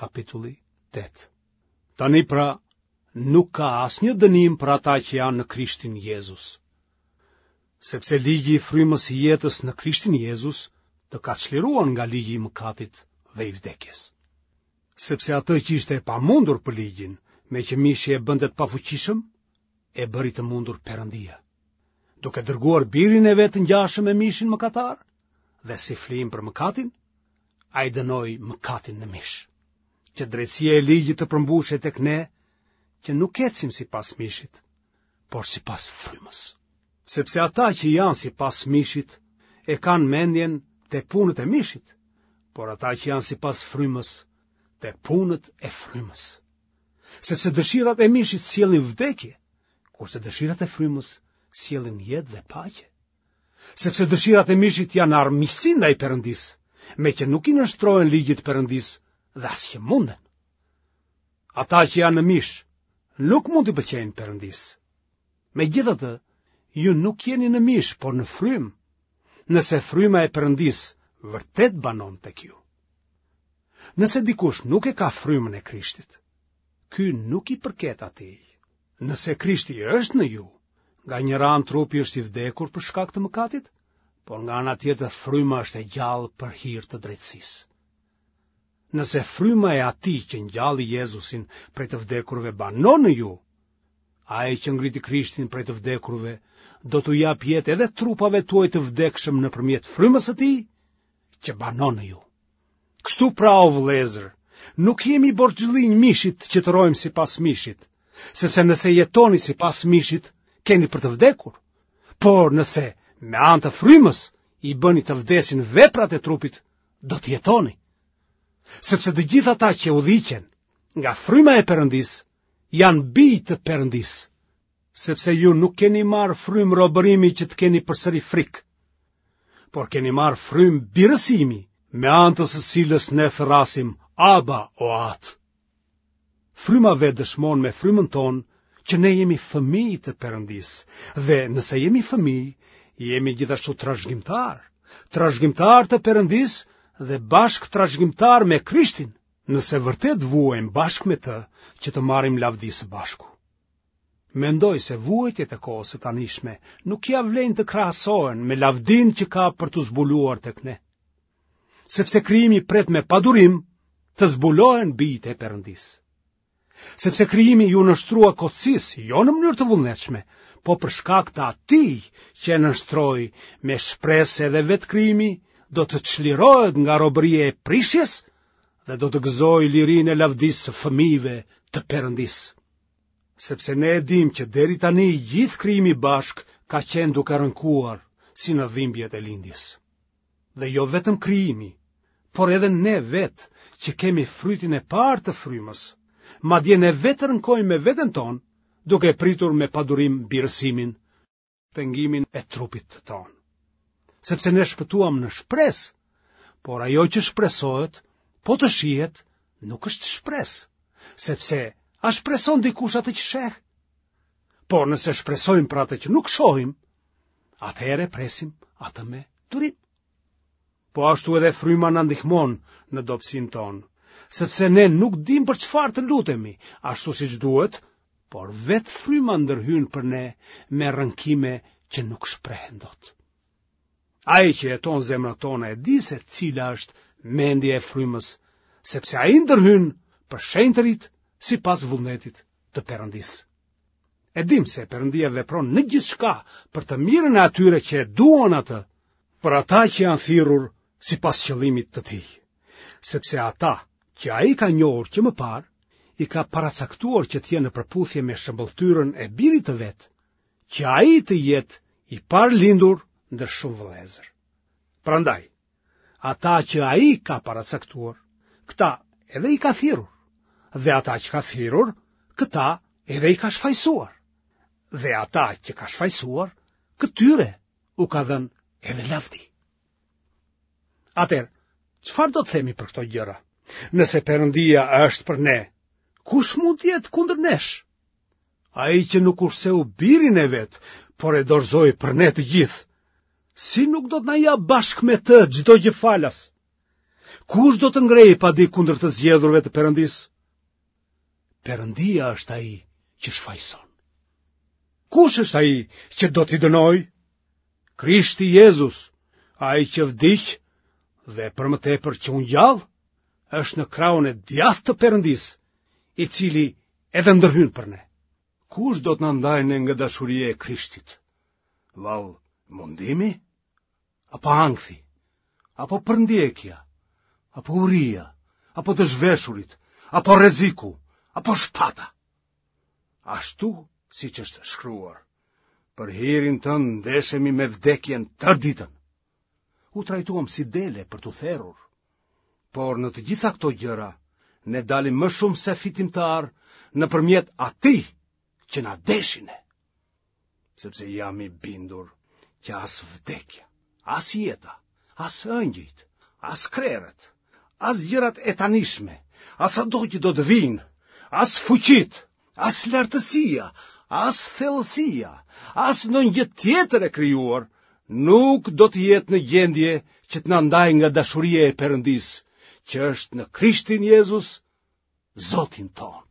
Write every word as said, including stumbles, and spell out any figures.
Kapitulli tetë. Tani pra, nuk ka asnjë dënim për ata që janë në Krishtin Jezus. Sepse ligji i frymës së jetës në Krishtin Jezus të ka çliruar nga ligji i mëkatit dhe i vdekjes. Sepse atë që ishte e pamundur për ligjin, meqë mishi e bënte të pafuqishëm, e bëri të mundur Perëndia, duke dërguar birin e vet të ngjashëm me mishin mëkatar dhe si flijim për mëkatin, ai dënoi mëkatin në mish, që drejtësia e ligjit të përmbushej tek ne, që nuk ecim sipas mishit, por sipas frymës. Sepse ata që janë sipas mishit e kanë mendjen te punët e mishit, por ata që janë sipas frymës te punët e frymës. Sepse dëshirat e mishit sjellin vdekje, kurse dëshirat e frymës sjellin jetë dhe paqe. Sepse dëshirat e mishit janë armiqësi ndaj Perëndisë, meqë nuk i nënshtrohen ligjit të Perëndisë dhe as që munden. Ata që janë në mish nuk mund t'i pëlqejnë Perëndisë. Megjithatë, ju nuk jeni në mish, por në frymë, nëse fryma e Perëndisë vërtet banon tek ju. Nëse dikush nuk e ka frymën e Krishtit, ky nuk i përket atij. Nëse Krishti është në ju, nga njëra anë trupi është i vdekur për shkak të mëkatit, por nga ana tjetër fryma është e gjallë për hir të drejtësisë. Nëse fryma e atij që ngjalli Jezusin prej të vdekurve banon në ju, ai që ngriti Krishtin prej të vdekurve do t'u japë jetë edhe trupave tuaj të vdekshëm nëpërmjet frymës së tij që banon në ju. Kështu pra, o vëllezër, nuk jemi borxhlinj mishit që të rrojmë sipas mishit, sepse nëse jetoni sipas mishit, keni për të vdekur. Por nëse me anë të frymës i bëni të vdesin veprat e trupit, do të jetoni. Sepse të gjithë ata që udhëhiqen nga fryma e Perëndisë janë bij të Perëndisë, sepse ju nuk keni marrë frymë robërimi që të keni përsëri frikë, por keni marrë frymë birësimi, me anë të së cilës ne thërrasim Aba o Atë. Fryma vetë dëshmon me frymën tonë që ne jemi fëmijë të Perëndisë dhe nëse jemi fëmijë, jemi gjithashtu trashëgimtarë, trashëgimtarë të Perëndisë dhe bashkë trashëgimtarë me Krishtin, nëse vërtet vuajmë bashkë me të që të marrim lavdi së bashku. Mendoj se vuajtjet e kohës së tanishme nuk ia vlejnë të krahasohen me lavdinë që ka për t'u zbuluar tek ne. Sepse krijimi pret me padurim të zbulohen bijtë e Perëndisë. Sepse krijimi iu nënshtrua kotësisë, jo në mënyrë të vullnetshme, po për shkak të atij që e nënshtroi, me shpresë se edhe vetë krijimi do të çlirohet nga robëria e prishjes dhe do të gëzojë lirinë e lavdisë së fëmijëve të Perëndisë. Sepse ne e dimë që deri tani i gjithë krijimi bashkë ka qenë duke rënkuar si në dhimbjet e lindjes. Dhe jo vetëm krijimi, por edhe ne vetë që kemi frytin e parë të frymës, madje ne vetë rënkojmë me veten tonë, duke pritur me padurim birësimin, shpengimin e trupit tonë. Sepse ne shpëtuam në shpresë, por ajo që shpresohet, po të shihet, nuk është shpresë, sepse a shpreson dikush atë që sheh? Por nëse shpresojmë për atë që nuk shohim, atëherë e presim atë me durim. Po ashtu edhe fryma na ndihmon në dobësinë tonë, sepse ne nuk dimë për çfarë të lutemi, ashtu siç duhet, por vetë fryma ndërhyn për ne me rënkime që nuk shprehen dot. Ai që heton zemrat tona e di se cila është mendja e frymës, sepse ai ndërhyn për shenjtërit sipas vullnetit të Perëndisë. E dimë se Perëndia vepron në gjithçka për të mirën e atyre që e duan atë, për ata që janë thirrur sipas qëllimit të tij. Sepse ata që ai ka njohur që më parë, i ka paracaktuar që të jenë në përputhje me shëmbëlltyrën e birit të vet, që ai të jetë i parëlindur ndër shumë vëllezër. Prandaj, ata që ai ka paracaktuar, këta edhe i ka thirrur, dhe ata që ka thirrur, këta edhe i ka shfajësuar. Dhe ata që ka shfajësuar, këtyre u ka dhënë edhe lavdi. Atëherë, çfarë do të themi për këto gjëra? Nëse Perëndia është për ne, kush mund të jetë kundër nesh? Ai që nuk kurseu birin e vet, por e dorëzoi për ne të gjithë, si nuk do të na japë bashkë me të çdo gjë falas? Kush do të ngrejë padi kundër të zgjedhurve të Perëndisë? Perëndia është ai që shfajëson. Kush është ai që do t'i dënojë? Krishti Jezus, ai që vdiq dhe për më tepër që u ngjall, është në krahun e djathtë të Perëndisë, i cili edhe ndërhyn për ne. Kush do të na ndajë ne nga dashuria e Krishtit? Vallë, mundimi? Apo ankthi? Apo përndjekja? Apo uria? Apo të zhveshurit? Apo rreziku? Apo shpata? Ashtu siç është shkruar, për hirin tënd ndeshemi me vdekjen tërë ditën. U trajtuam si dele për t'u therur. Por në të gjitha këto gjëra, ne dalim më shumë se fitimtarë nëpërmjet atij që na deshi ne. Sepse jam i bindur që as vdekja, as jeta, as engjëjt, as krerët, as gjërat e tanishme, as ato që do të vijnë, as fuqitë, as lartësia, as thellësia, as ndonjë gjë tjetër e krijuar, nuk do të jetë në gjendje që të na ndajë nga dashuria e Perëndisë, që është në Krishtin Jezus, Zotin tonë.